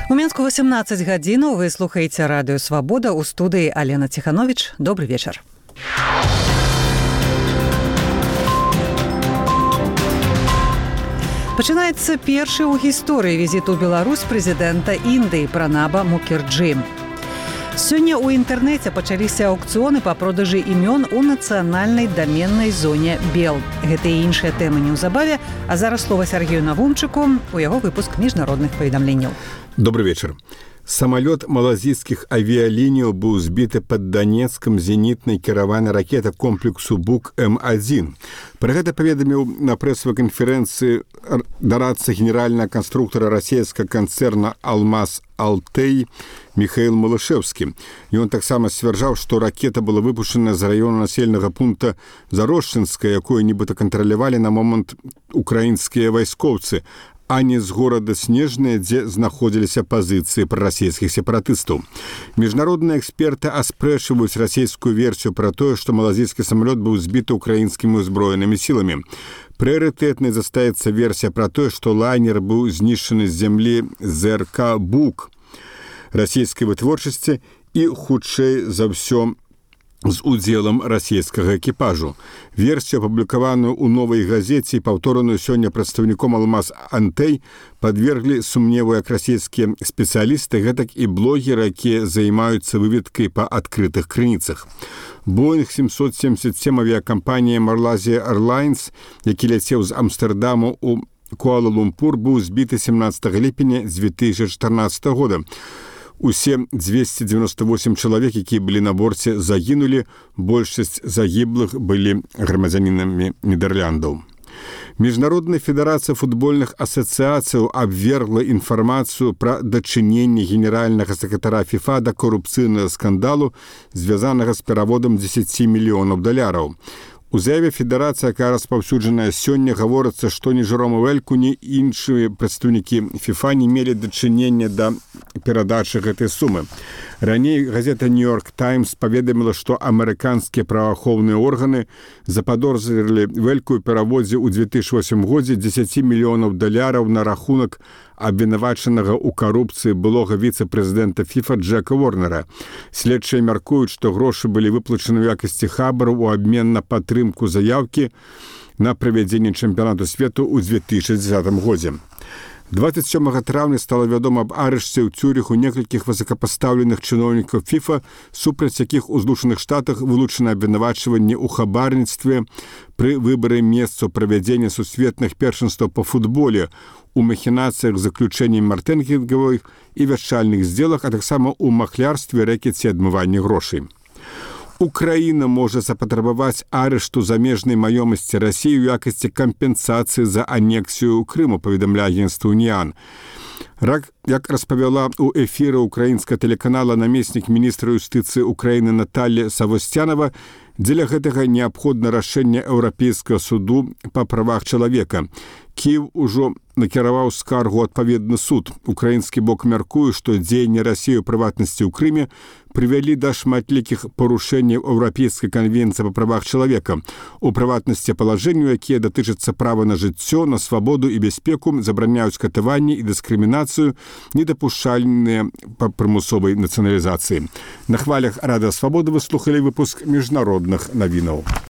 У Мінску 18 гадзінаў. Вы слухаеце радыё «Свабода», у студыі Алена Ціхановіч. Добры вечар. Пачынаецца першы ў гісторыі візіт у Беларусь прэзідэнта Індыі Пранаба Мукерджі. Сёння ў інтэрнэце пачаліся аўкцыёны па продажы імён у нацыянальнай даменнай зоне БЕЛ. Гэта і іншыя тэмы неўзабаве, а зараз слова Сергею Навумчыку, у яго выпуск міжнародных паведамленняў. Добрый вечер. Самолет малазійскіх авіялініяў быў збіты пад Донецкам зенітнай кіраванай ракеты комплексу БУК-М1. Пра гэта паведаміў на прэсавай канферэнцыі дарадца генеральнага канструктара расійскага канцэрна «Алмаз Алтей» Михаил Малышевскі. Ён таксама сцвярджаў, што ракета была выпушчана з раёна населенага пункта Зарошчынская, якое нібыта кантралявалі на момант украінскія вайскоўцы, а не з горада Снежнае, дзе знаходзіліся пазіцыі прарасійскіх сепаратыстаў. Міжнародныя эксперты аспрэчваюць расійскую версію пра тое, што малазійскі самалёт быў збіты ўкраінскімі ўзброенымі сіламі. Прыярытэтнай застаецца версія пра тое, што лайнер быў знішчаны з зямлі ЗРК «Бук» расійскай вытворчасці і, хутчэй за ўсё, з удзелам расійскага экіпажу. Версію, апублікаваную ў «Новай газеце» і паўтораную сёння прадстаўніком «Алмаз Алтей», падверглі сумневу як расійскія спецыялісты, гэтак і блогеры, якія займаюцца выведкай па адкрытых крыніцах. Боинг 777 авіякампанія Malaysia Airlines, які ляцеў з Амстэрдаму ў Куала-Лумпур, быў збіты 17 ліпеня 2014 года. Усе 298 чалавек, якія былі на борце, загінулі. Большасць загіблых былі грамадзянінамі Нідэрляндаў. Міжнародная федэрацыя футбольных асацыяцыяў абвергла інфармацыю пра дачыненне генеральнага сакратара ФІФА да карупцыйнага скандалу, звязанага з пераводам $10 мільёнаў. У заяве федэрацыі, якая распаўсюджаная сёння, гаворыцца, што ні Жерома Вэльку, ні іншыя прадстаўнікі ФІФА не мелі дачынення да перадачы гэтай сумы. Раней газета «Нью-Йорк Таймс» паведаміла, што амерыканскія праваахоўныя органы западозрылі Вэльку ў пераводзе ў 2008 годзе $10 мільёнаў на рахунак абвінавачанага ў карупцыі былога віцэ-прэзідэнта ФІФА Джека Ворнера. Следчыя мяркуюць, што грошы былі выплачаны ў якасці хабару ў абмен на падтрымку заяўкі на правядзенне чэмпіянату свету ў 2010 годзе. 27 траўня стала вядома аб арышце ў Цюрыху некалькіх высокапастаўленых чыноўнікаў ФІФА, супраць якіх у Злучаных Штатах вылучана абвінавачванне ў хабарніцтве пры выбары месцаў правядзення сусветных першынстваў па футболе, у махінацыях з заключэннем маркетынгавых і вяшчальных здзелах, а таксама ў махлярстве, рэкеце і адмыванні грошай. Украіна можа запатрабаваць арышту замежнай маёмасці Расіі ў якасці кампенсацыі за анексію Крыму, паведамляе агенцтва «Уніан». Як распавяла ў эфіры украінскага тэлеканала намеснік міністра юстыцыі Украіны Наталля Савостянова, дзеля гэтага неабходна рашэнне Еўрапейскага суду па правах чалавека. Кіеў ужо накіраваў скаргу адпаведны суд. Украінскі бок мяркуе, што дзеянні Расіі ў прыватнасці ў Крыме прывялі да шматлікіх парушэнняў Еўрапейскай канвенцыі па правах чалавека. У прыватнасці палажэнняў, якія датычацца права на жыццё, на свабоду і бяспеку, забараняюць катаванне і дыскрымінацыю, недапушчальныя па прымусовай нацыяналізацыі. На хвалях радыё «Свабода» вы слухалі выпуск міжнародных навінаў.